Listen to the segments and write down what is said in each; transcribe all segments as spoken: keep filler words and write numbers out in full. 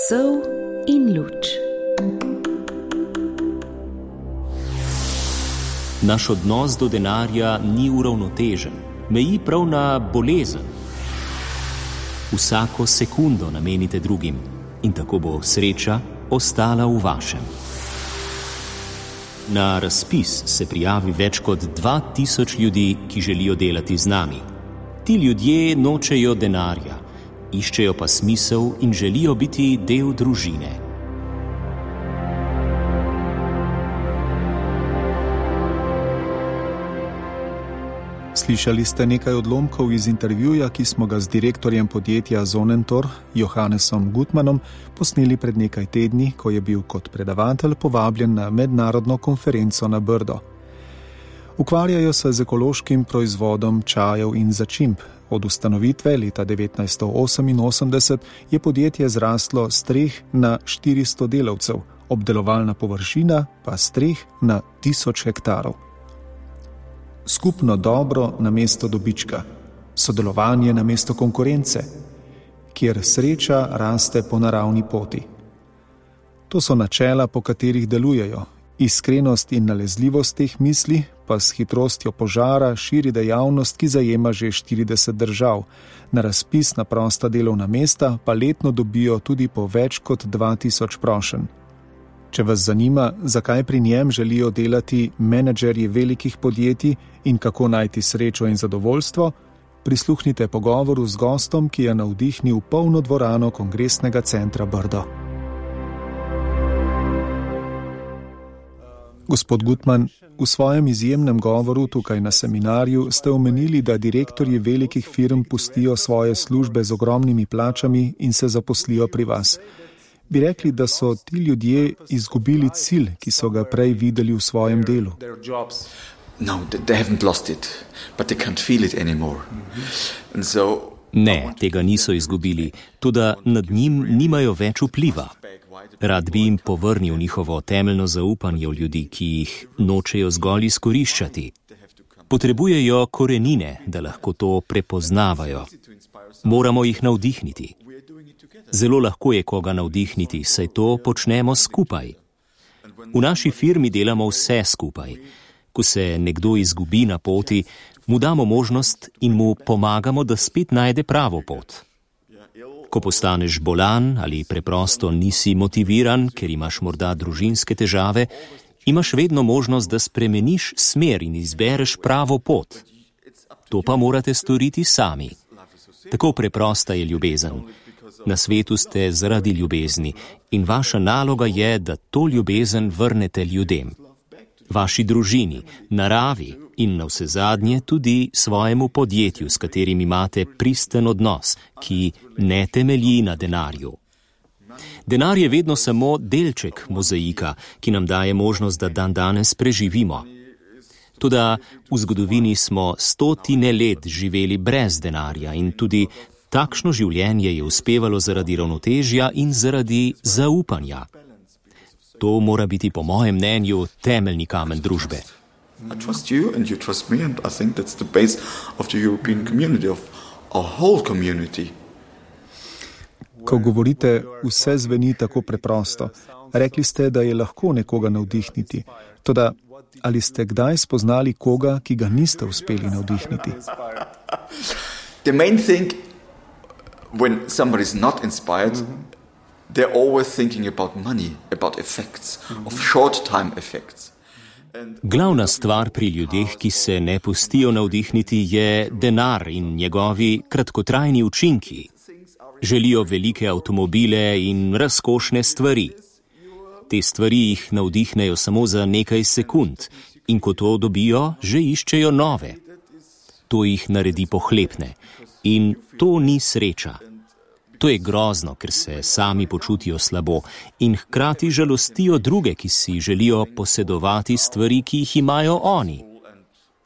Sol in luč. Naš odnos do denarja ni uravnotežen, meji prav na bolezen. Vsako sekundo namenite drugim in tako bo sreča ostala v vašem. Na razpis se prijavi več kot dva tisoč ljudi, ki želijo delati z nami. Ti ljudje nočejo denarja, iščejo pa smisel in želijo biti del družine. Slišali ste nekaj odlomkov iz intervjuja, ki smo ga z direktorjem podjetja Zonentor, Johannesom Gutmanom, posneli pred nekaj tedni, ko je bil kot predavatelj povabljen na mednarodno konferenco na Brdo. Ukvarjajo se z ekološkim proizvodom čajev in začimb. Od ustanovitve leta devetnajststo oseminosemdeset je podjetje zraslo s treh na štiristo delavcev, obdelovalna površina pa s treh na tisoč hektarov. Skupno dobro namesto dobička, sodelovanje namesto konkurence, kjer sreča raste po naravni poti. To so načela, po katerih delujejo. Iskrenost in nalezljivost teh misli pa s hitrostjo požara širi dejavnost, ki zajema že štirideset držav. Na razpis na prosta delovna mesta pa letno dobijo tudi po več kot dva tisoč prošenj. Če vas zanima, zakaj pri njem želijo delati menedžerji velikih podjetij in kako najti srečo in zadovoljstvo, prisluhnite pogovoru z gostom, ki je navdihnil polno dvorano Kongresnega centra Brdo. Gospod Gutman, v svojem izjemnem govoru tukaj na seminarju ste omenili, da direktorji velikih firm pustijo svoje službe z ogromnimi plačami in se zaposlijo pri vas. Bi rekli, da so ti ljudje izgubili cilj, ki so ga prej videli v svojem delu? No, they haven't lost it, but they can't feel it anymore. And so Ne, tega niso izgubili, toda nad njim nimajo več vpliva. Rad bi jim povrnil njihovo temeljno zaupanje v ljudi, ki jih nočejo zgolj izkoriščati. Potrebujejo korenine, da lahko to prepoznavajo. Moramo jih navdihniti. Zelo lahko je koga navdihniti, saj to počnemo skupaj. V naši firmi delamo vse skupaj. Ko se nekdo izgubi na poti, mu damo možnost in mu pomagamo, da spet najde pravo pot. Ko postaneš bolan ali preprosto nisi motiviran, ker imaš morda družinske težave, imaš vedno možnost, da spremeniš smer in izbereš pravo pot. To pa morate storiti sami. Tako preprosta je ljubezen. Na svetu ste zaradi ljubezni in vaša naloga je, da to ljubezen vrnete ljudem. Vaši družini, naravi in navsezadnje tudi svojemu podjetju, s katerim imate pristen odnos, ki ne temelji na denarju. Denar je vedno samo delček mozaika, ki nam daje možnost, da dan danes preživimo. Toda v zgodovini smo stotine let živeli brez denarja in tudi takšno življenje je uspevalo zaradi ravnotežja in zaradi zaupanja. To mora biti po mojem mnenju temeljni kamen družbe. I trust you and you trust me and I think that's the base of the European community, of our whole community. Ko govorite, vse zveni tako preprosto. Rekli ste, da je lahko nekoga navdihniti. Toda, ali ste kdaj spoznali koga, ki ga niste uspeli navdihniti? The main thing, when somebody is not inspired, they're always thinking about money, about effects, of short-time effects. Glavna stvar pri ljudeh, ki se ne pustijo navdihniti, je denar in njegovi kratkotrajni učinki. Želijo velike avtomobile in razkošne stvari. Te stvari jih navdihnejo samo za nekaj sekund in ko to dobijo, že iščejo nove. To jih naredi pohlepne in to ni sreča. To je grozno, ker se sami počutijo slabo in hkrati žalostijo druge, ki si želijo posedovati stvari, ki jih imajo oni.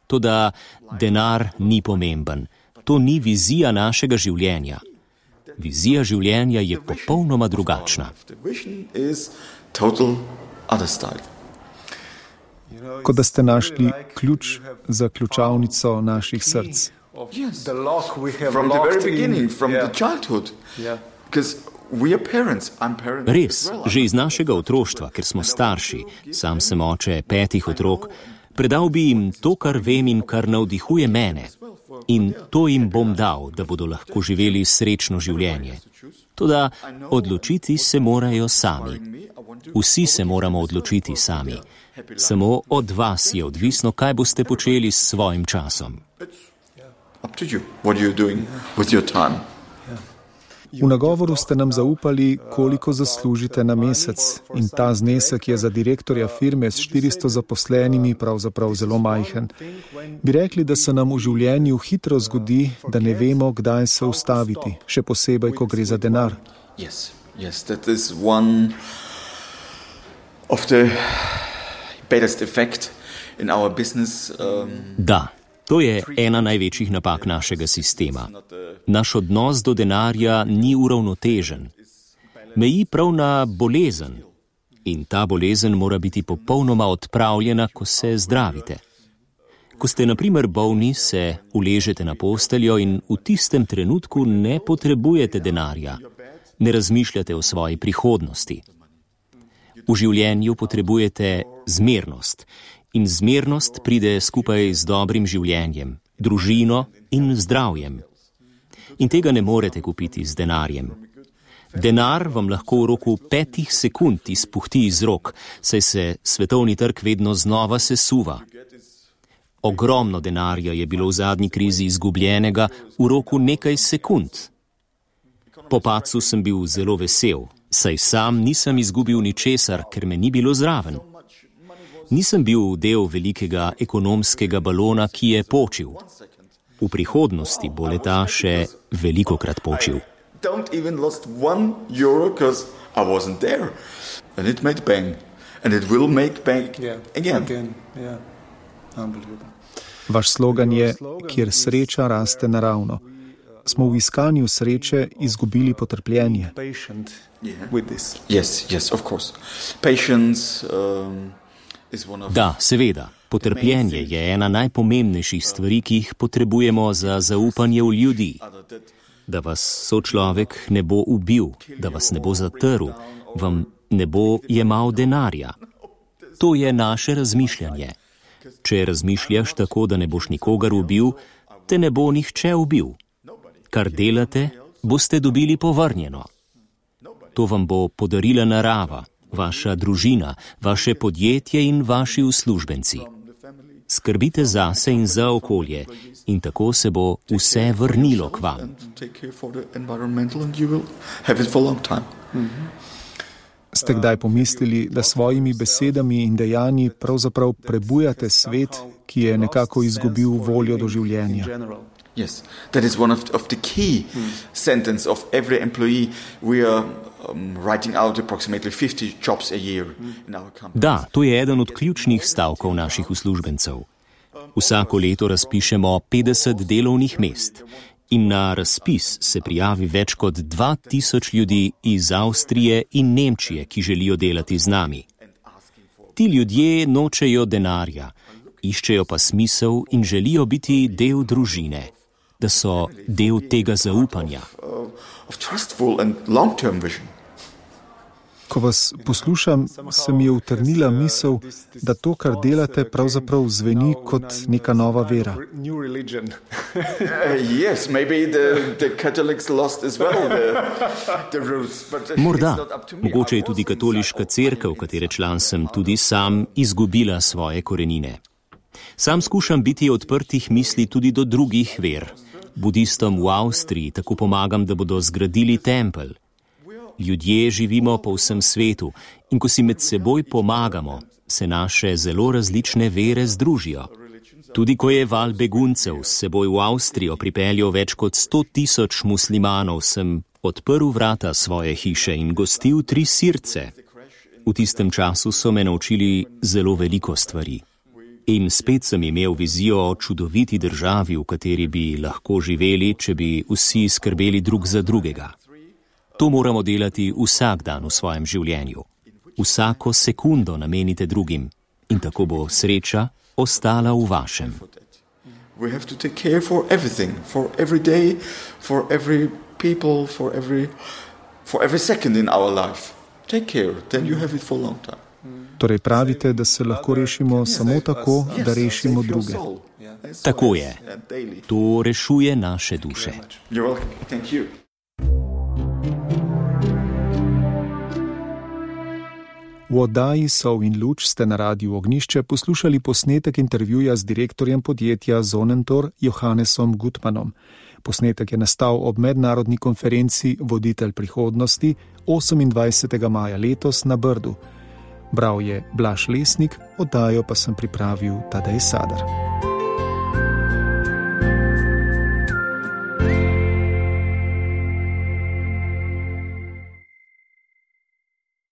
Toda denar ni pomemben. To ni vizija našega življenja. Vizija življenja je popolnoma drugačna. Kot da ste našli ključ za ključavnico naših src. Yes, the lock we have from the very beginning, in, from yeah. the childhood. Yeah. Because Res, že iz našega otroštva, ker smo starši, sam sem oče petih otrok, predal bi jim to, kar vem in kar navdihuje mene. In to jim bom dal, da bodo lahko živeli srečno življenje. Toda odločiti se morajo sami. Vsi se moramo odločiti sami. Samo od vas je odvisno, kaj boste počeli s svojim časom. V nagovoru ste nam zaupali, koliko zaslužite na mesec, in ta znesek je za direktorja firme s štiristo zaposlenimi pravzaprav zelo majhen. Bi rekli, da se nam v življenju hitro zgodi, da ne vemo, kdaj se ustaviti, še posebej, ko gre za denar. Yes, yes, that is one of the baddest effect in our business. Um... Da. To je ena največjih napak našega sistema. Naš odnos do denarja ni uravnotežen. Meji prav na bolezen. In ta bolezen mora biti popolnoma odpravljena, ko se zdravite. Ko ste na primer bolni, se uležete na posteljo in v tistem trenutku ne potrebujete denarja. Ne razmišljate o svoji prihodnosti. V življenju potrebujete zmernost. In zmernost pride skupaj z dobrim življenjem, družino in zdravjem. In tega ne morete kupiti z denarjem. Denar vam lahko v roku petih sekund izpuhti iz rok, saj se svetovni trg vedno znova sesuva. Ogromno denarja je bilo v zadnji krizi izgubljenega v roku nekaj sekund. Po padcu sem bil zelo vesel, saj sam nisem izgubil ničesar, ker me ni bilo zraven. Nisem bil del velikega ekonomskega balona, ki je počil. V prihodnosti bo leta še velikokrat počil. Don't even lost one euro, because I wasn't there. And it made bang. And it will make bang yeah, again. again. Yeah. Unbelievable. Vaš slogan je, kjer sreča raste naravno. Smo v iskanju sreče izgubili potrpljenje. Yeah. Yes, yes, of course. Patience, um, Da, seveda, potrpljenje je ena najpomembnejših stvari, ki jih potrebujemo za zaupanje v ljudi. Da vas sočlovek ne bo ubil, da vas ne bo zatrl, vam ne bo jemal denarja. To je naše razmišljanje. Če razmišljaš tako, da ne boš nikogar ubil, te ne bo nihče ubil. Kar delate, boste dobili povrnjeno. To vam bo podarila narava, vaša družina, vaše podjetje in vaši uslužbenci. Skrbite zase in za okolje in tako se bo vse vrnilo k vam. Ste kdaj pomislili, da svojimi besedami in dejanji pravzaprav prebujate svet, ki je nekako izgubil voljo do življenja? Yes, that is one of, of the key hmm. sentence of every employee. We are um, writing out approximately fifty jobs a year in our company. Da, to je eden od ključnih stavkov naših uslužbencev. Vsako leto razpišemo petdeset delovnih mest in na razpis se prijavi več kot dva tisoč ljudi iz Avstrije in Nemčije, ki želijo delati z nami. Ti ljudje nočejo denarja, iščejo pa smisel in želijo biti del družine, da so del tega zaupanja. Ko vas poslušam, se mi je utrnila misel, da to, kar delate, pravzaprav zveni kot neka nova vera. Morda. Mogoče je tudi katoliška cerkev, katere član sem tudi sam, izgubila svoje korenine. Sam skušam biti odprtih misli tudi do drugih ver. Budistom v Avstriji tako pomagam, da bodo zgradili tempelj. Ljudje živimo po vsem svetu in ko si med seboj pomagamo, se naše zelo različne vere združijo. Tudi ko je val beguncev s seboj v Avstrijo pripeljal več kot sto tisoč muslimanov, sem odprl vrata svoje hiše in gostil tri sirce. V tistem času so me naučili zelo veliko stvari. In spet sem imel vizijo o čudoviti državi, v kateri bi lahko živeli, če bi vsi skrbeli drug za drugega. To moramo delati vsak dan v svojem življenju. Vsako sekundo namenite drugim in tako bo sreča ostala v vašem. We have to take care for everything, for every day, for every people, for every for every second in our life. Take care, then you have it for a long time. Torej pravite, da se lahko rešimo samo tako, da rešimo druge. Tako je. To rešuje naše duše. You're welcome. Thank you. V oddaji Sol in luč ste na Radiu Ognjišče poslušali posnetek intervjuja z direktorjem podjetja Sonnentor Johannesom Gutmannom. Posnetek je nastal ob mednarodni konferenci Voditelj prihodnosti osemindvajsetega maja letos na Brdu. Bral je Blaž Lesnik, oddajo pa sem pripravil Tadej Sadar.